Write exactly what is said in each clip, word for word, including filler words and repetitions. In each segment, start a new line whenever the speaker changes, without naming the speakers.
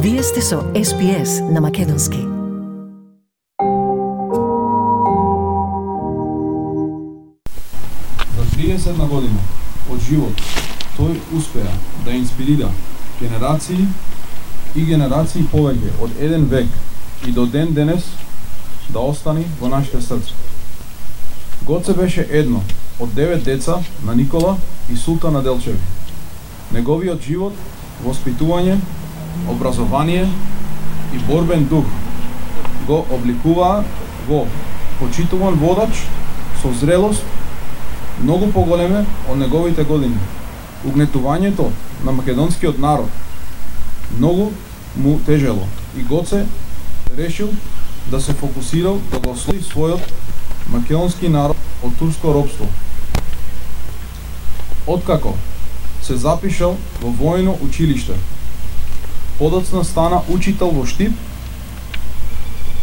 Вие сте со Ес Би Ес на Македонски.
За триесет година од живот тој успеа да инспирира генерации и генерации повеќе од еден век и до ден денес да остани во нашите срца. Гоце беше едно од девет деца на Никола и Султана Делчеви. Неговиот живот, воспитување, образование и борбен дух го обликуваа во почитуван водач со зрелост многу поголеме од неговите години. Угнетувањето на македонскиот народ многу му тежело и Гоце решил да се фокусирал да го ослоби својот македонски народ од турско робство. Откако се запишал во војно училиште, подоцна стана учител во Штип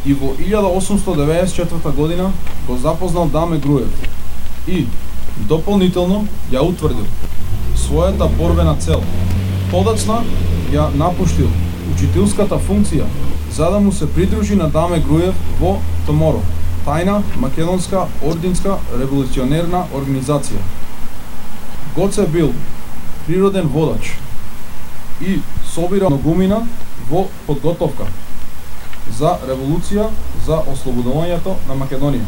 и во илјада осумстотини деветдесет и четврта година го запознал Даме Груев и дополнително ја утврдил својата борбена цел. Подоцна ја напуштил учителската функција за да му се придружи на Даме Груев во ТМОРО, тајна македонска ординска револуционерна организација. Гоце бил природен водач и собира многумина во подготовка за револуција за ослободувањето на Македонија.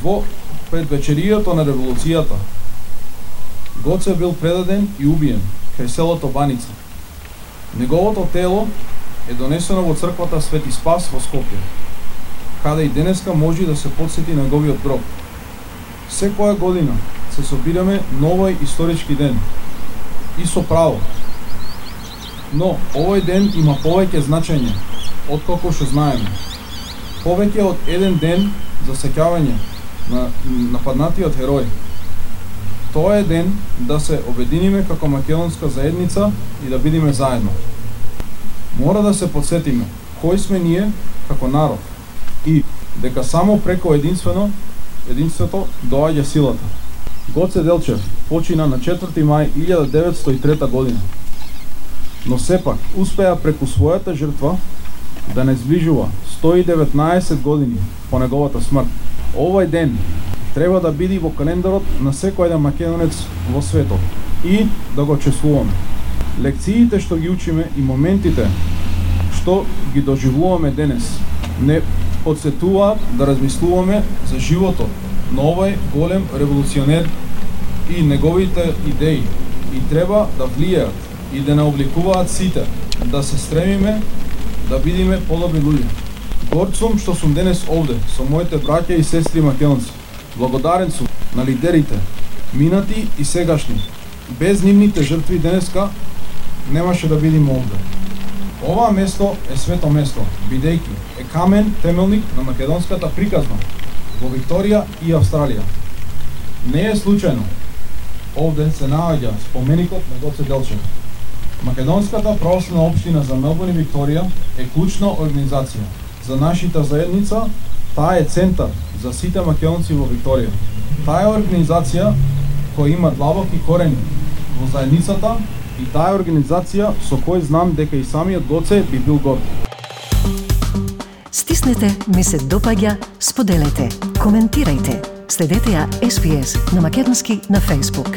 Во предвечеријето на револуцијата Гоце бил предаден и убиен кај селото Баница. Неговото тело е донесено во црквата Свети Спас во Скопје, каде и денеска може да се потсети неговиот гроб. Секоја година се собираме на овој исторички ден и со право. Но овој ден има повеќе значење отколку што знаеме. Повеќе од еден ден за сеќавање на нападнатиот херој. Тоа е ден да се обединиме како македонска заедница и да бидеме заедно. Мора да се подсетиме кои сме ние како народ и дека само преко единствено единството доаѓа силата. Гоце Делчев почина на четврти мај илјада деветстотини и трета година. Но сепак успеа преку својата жртва да не зближува сто и деветнаесет години по неговата смрт. Овој ден треба да биде во календарот на секој еден македонец во светот и да го чествуваме. Лекциите што ги учиме и моментите што ги доживуваме денес не подсетуваат да размислуваме за животот на овој голем револуционер и неговите идеи и треба да влијаат и да не обликуваат сите, да се стремиме да бидеме подобри луѓе. Горд сум што сум денес овде со моите браќа и сестри македонци. Благодарен сум на лидерите, минати и сегашни. Без нивните жртви денеска немаше да бидеме овде. Ова место е свето место, бидејќи е камен темелник на македонската приказна во Викторија и Австралија. Не е случајно овде се наоѓа споменикот на Гоце Делчев. Македонската православна општина за Мелбурн и Викторија е клучна организација за нашата заедница. Таа е центар за сите македонци во Викторија. Таа е организација која има длабоки корени во заедницата и таа е организација со кој знам дека и самиот Гоце би бил горд.
Стиснете, ми се допаѓа, споделете, коментирајте. Следете ја Ес Би Ес на Македонски на Facebook.